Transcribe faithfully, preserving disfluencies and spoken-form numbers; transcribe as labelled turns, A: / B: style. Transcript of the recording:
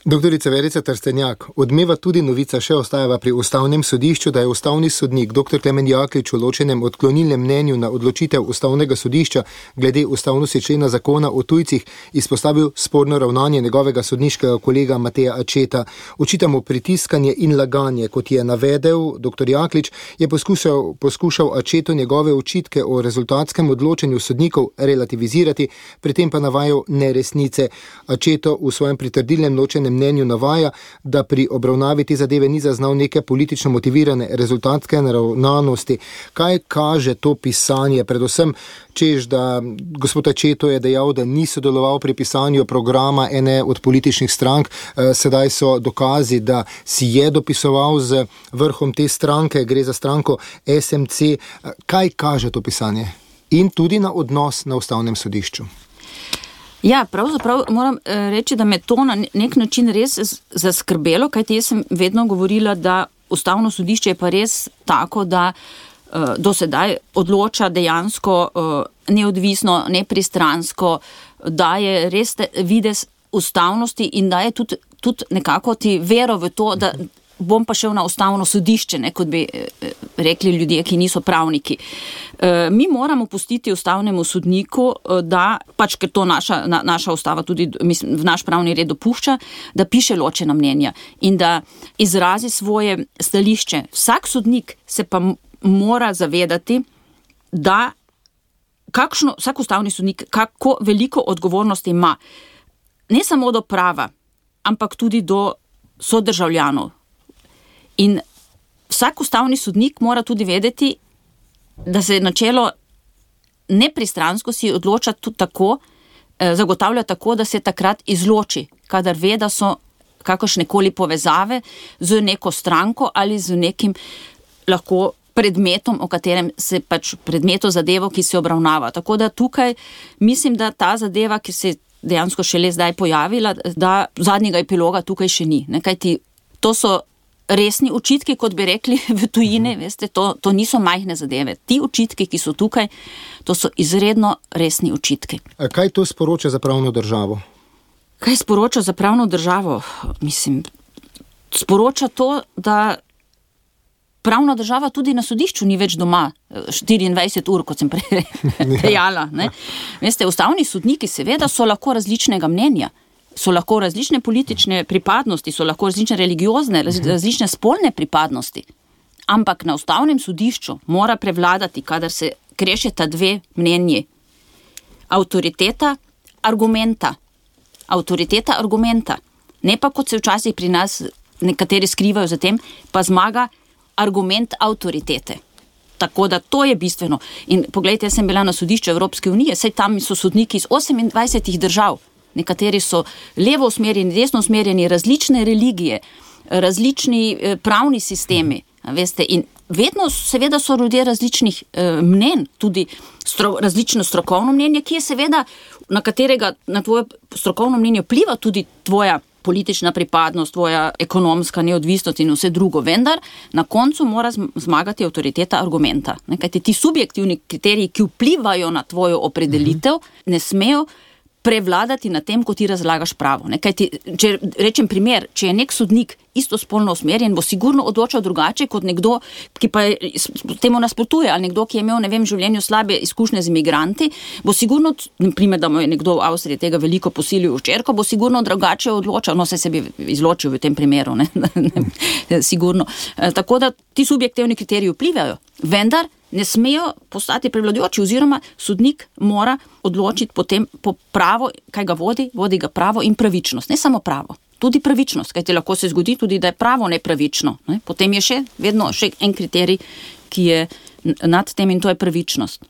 A: Doktorica Verica Trstenjak, odmeva tudi novica, še ostajava pri ustavnem sodišču, da je ustavni sodnik doktor Klemen Jaklič v ločenem odklonilnem mnenju na odločitev ustavnega sodišča glede ustavnosti člena zakona o tujcih izpostavil sporno ravnanje njegovega sodniškega kolega Mateja Acceta. Očita mu pritiskanje in laganje, kot je navedel doktor Jaklič, je poskušal, poskušal Accetu njegove očitke o rezultatskem odločenju sodnikov relativizirati, pri tem pa navajal neresnice. Acceto v svojem pritrdilnem ločenem mnenju navaja, da pri obravnavi te zadeve ni zaznal neke politično motivirane rezultatske naravnanosti. Kaj kaže to pisanje? Predvsem, češ, da gospod Acceto je dejal, da ni sodeloval pri pisanju programa ene od političnih strank. Sedaj so dokazi, da si je dopisoval z vrhom te stranke, gre za stranko S M C. Kaj kaže to pisanje? In tudi na odnos na ustavnem sodišču.
B: Ja, pravzaprav moram reči, da me to na nek način res zaskrbelo, kajti jaz sem vedno govorila, da ustavno sodišče je pa res tako, da uh, do sedaj odloča dejansko uh, neodvisno, nepristransko, da je res videz ustavnosti in da je tudi, tudi nekako ti vero v to, da bom pa šel na ustavno sodišče, ne, kot bi rekli ljudje, ki niso pravniki. E, mi moramo pustiti ustavnemu sodniku, da, pač ker to naša, na, naša ustava tudi mislim, v naš pravni red dopušča, da piše ločena mnenja in da izrazi svoje stališče. Vsak sodnik se pa mora zavedati, da kakšno, vsak ustavni sodnik, kako veliko odgovornosti ima, ne samo do prava, ampak tudi do sodržavljanov. In vsak ustavni sodnik mora tudi vedeti, da se načelo nepristranskosti odloča tudi tako, eh, zagotavlja tako, da se takrat izloči, kadar ve, da so kakršnekoli povezave z neko stranko ali z nekim lahko predmetom, o katerem se pač predmeto zadevo, ki se obravnava. Tako da tukaj mislim, da ta zadeva, ki se dejansko šele zdaj pojavila, da zadnjega epiloga tukaj še ni. Ne, kajti to so resni očitki, kot bi rekli v tujini, veste, to, to niso majhne zadeve. Ti očitki, ki so tukaj, to so izredno resni očitki.
A: Kaj to sporoča za pravno državo?
B: Kaj sporoča za pravno državo? Mislim, sporoča to, da pravna država tudi na sodišču ni več doma štiriindvajset ur, kot sem prej dejala. Ne? Veste, ustavni sodniki seveda so lahko različnega mnenja, so lahko različne politične pripadnosti, so lahko različne religiozne, različne spolne pripadnosti. Ampak na ustavnem sodišču mora prevladati, kadar se krešeta dve mnenji, avtoriteta argumenta. Avtoriteta argumenta. Ne pa, kot se včasih pri nas nekateri skrivajo za tem, pa zmaga argument avtoritete. Tako da to je bistveno. In poglejte, jaz sem bila na sodišču Evropske unije, saj tam so sodniki iz osemindvajsetih držav. Nekateri so levo usmerjeni, desno usmerjeni, različne religije, različni pravni sistemi, veste, in vedno seveda so ljudje različnih eh, mnenj, tudi stro, različno strokovno mnenje, ki je seveda, na katerega, na tvoje strokovno mnenje vpliva tudi tvoja politična pripadnost, tvoja ekonomska neodvisnost in vse drugo, vendar na koncu mora zmagati avtoriteta argumenta. Ne, kajti ti subjektivni kriteriji, ki vplivajo na tvojo opredelitev, ne smejo prevladati na tem, ko ti razlagaš pravo. Ne? Kaj ti, če rečem primer, če je nek sodnik istospolno usmerjen, bo sigurno odločal drugače kot nekdo, ki pa temu nasprotuje, ali nekdo, ki je imel, ne vem, v življenju slabe izkušnje z imigranti, bo sigurno, naprimer, da mu je nekdo v Avstriji tega veliko posilil v hčerko, bo sigurno drugače odločal, no, se se bi izločil v tem primeru, ne, sigurno. Tako da ti subjektivni kriteriji vplivajo, vendar ne smejo postati prevladujoči, oziroma sodnik mora odločiti potem po pravo, kaj ga vodi, vodi ga pravo in pravičnost. Ne samo pravo, tudi pravičnost, kajti lahko se zgodi tudi, da je pravo nepravično. Ne? Potem je še vedno še en kriterij, ki je nad tem in to je pravičnost.